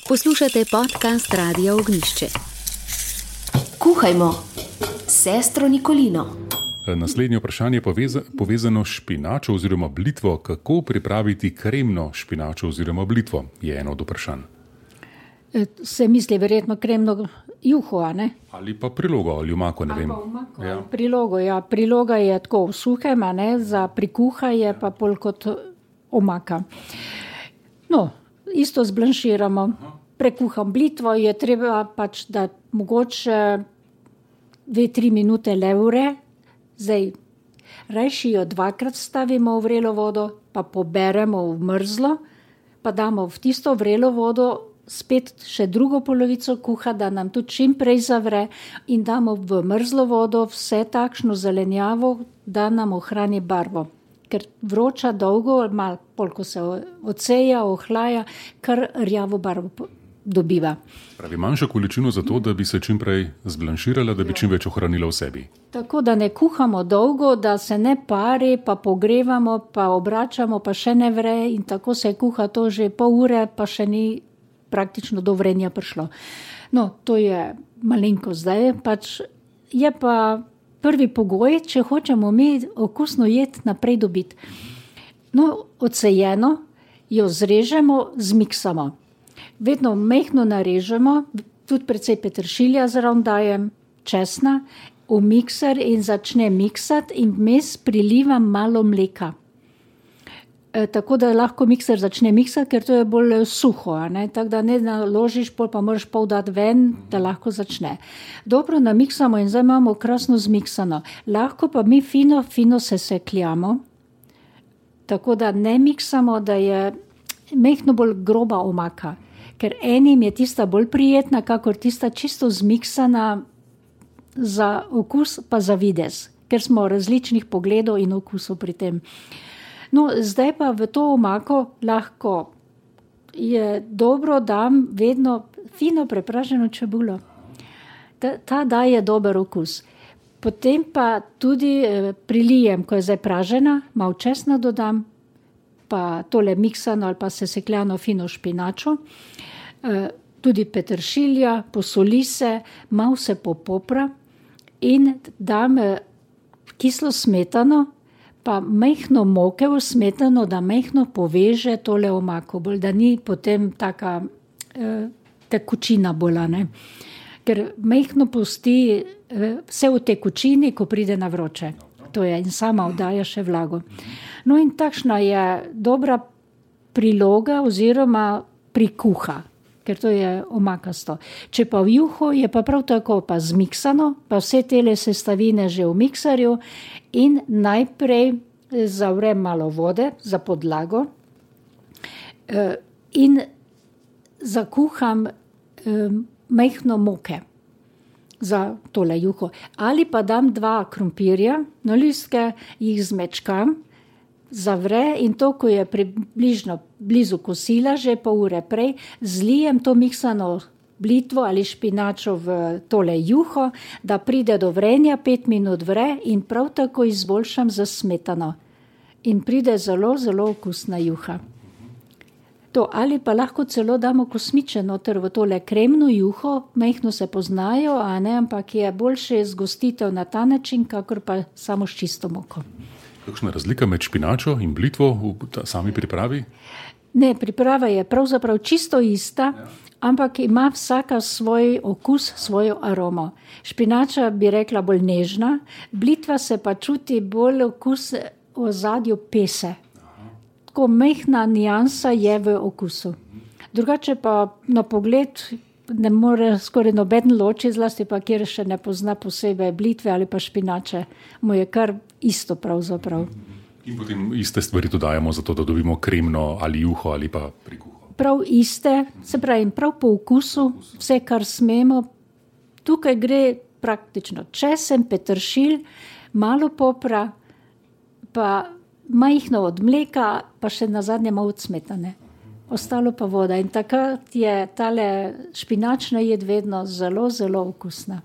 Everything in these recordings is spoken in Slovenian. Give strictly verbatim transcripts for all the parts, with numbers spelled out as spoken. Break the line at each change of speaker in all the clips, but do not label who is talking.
Poslušate podcast Radia Ognjišče.
Kuhajmo, sestro Nikolino.
Naslednje vprašanje je poveza, povezano s špinačo oziroma blitvo. Kako pripraviti kremno špinačo oziroma blitvo, je eno od vprašanj.
Se misli verjetno kremno juho, a ne?
Ali pa prilogo ali omako, ne vem.
Ja. Prilogo, ja. Priloga je tako v suhem, a ne? Za prikuhanje pa pol kot omaka. No, isto zblanširamo. Prekuham blitvo, je treba pač, da mogoče dve, tri minute le ure. Zdaj, rajši jo dvakrat stavimo v vrelo vodo, pa poberemo v mrzlo, pa damo v tisto vrelo vodo spet še drugo polovico kuha, da nam tudi čim prej zavre in damo v mrzlo vodo vse takšno zelenjavo, da nam ohrani barvo. Ker vroča dolgo, malo polko se odseja, ohlaja, kar rjavo barvo dobiva.
Pravi manjšo količino za to, da bi se čim prej zblanširala, da bi čim več ohranila v sebi.
Tako da ne kuhamo dolgo, da se ne pari, pa pogrevamo, pa obračamo, pa še ne vre in tako se kuha to že pol ure, pa še ni praktično do vrenja prišlo. No, to je malenko zdaj, pač je pa prvi pogoj, če hočemo mi okusno jed naprej dobiti. No, odsejeno jo zrežemo, zmiksamo. Vedno mehno narežemo, tudi precej peteršilja zraven dajem, česna, v mikser in začne miksati in vmes prilivam malo mleka. E, tako da lahko mikser začne miksati, ker to je bolj suho, a ne? Tako da ne naložiš, pol pa moraš pol dati ven, da lahko začne. Dobro namiksamo in zdaj imamo krasno zmiksano. Lahko pa mi fino, fino se sekljamo, tako da ne miksamo, da je mehno bolj groba omaka. Ker enim je tista bolj prijetna, kakor tista čisto zmiksana za okus, pa za videz, ker smo različnih pogledov in okusov pri tem. No, zdaj pa v to omako lahko je dobro, dam vedno fino prepraženo čebulo. Ta, ta daje dober okus. Potem pa tudi eh, prilijem, ko je zdaj pražena, malo česna dodam, pa tole miksano ali pa sesekljano fino špinačo, eh, tudi peteršilja, posoli se, malo se popopra in dam eh, kislo smetano, pa mehno moke v smetano, da mehno poveže tole omako, bolj da ni potem taka eh, tekočina bolj, ne. Ker mehno pusti eh, vse v tekočini, ko pride na vroče. To je in sama vdaja še vlago. No in takšna je dobra priloga oziroma prikuha, ker to je omakasto. Če pa v juho je pa prav tako pa zmiksano, pa vse tele sestavine že v mikserju in najprej zavrem malo vode za podlago in zakuham mehno moke za tole juho. Ali pa dam dva krompirja na listke, jih zmečkam, zavre in to, ko je približno blizu kosila, že pol ure prej, zlijem to miksano blitvo ali špinačo v tole juho, da pride do vrenja, pet minut vre in prav tako izboljšam za smetano. In pride zelo, zelo okusna juha. To, ali pa lahko celo damo kosmiče noter v tole kremno juho, mehno se poznajo, a ne, ampak je boljše zgostitev na ta način, kakor pa samo s čisto moko.
Kakšna razlika med špinačo in blitvo v sami pripravi?
Ne, priprava je pravzaprav čisto ista, ampak ima vsaka svoj okus, svojo aromo. Špinača bi rekla bolj nežna, blitva se pa čuti bolj okus v ozadju pese. Tako mehna nijansa je v okusu. Drugače pa na pogled ne more skoraj noben loči, zlasti pa kjer še ne pozna posebej blitve ali pa špinače. Mu je kar isto pravzaprav.
In potem iste stvari dodajamo zato, da dobimo kremno ali juho ali pa prikuho.
Prav iste, se pravi prav po okusu, vse kar smemo. Tukaj gre praktično česen, peteršilj, malo popra, pa majhno od mleka, pa še nazadnje malo od smetane. Ostalo pa voda. In takrat je tale špinačna jed vedno zelo, zelo okusna.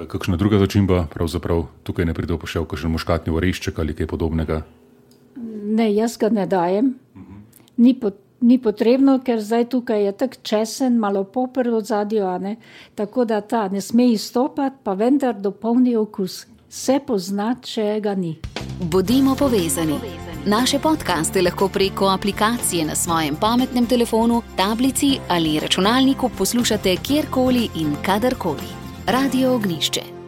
Kakšna druga začimba, pravzaprav tukaj ne pride v poštev, kakšen muškatni orešček ali kaj podobnega?
Ne, jaz ga ne dajem. Ni ni potrebno, ker zdaj tukaj je tak česen, malo poper od zadju, ne? Tako da ta ne sme izstopati, pa vendar dopolni okus. Se pozna, če ga ni.
Bodimo povezani. Naše podcaste lahko preko aplikacije na svojem pametnem telefonu, tablici ali računalniku poslušate kjerkoli in kadarkoli. Radio Ognišče.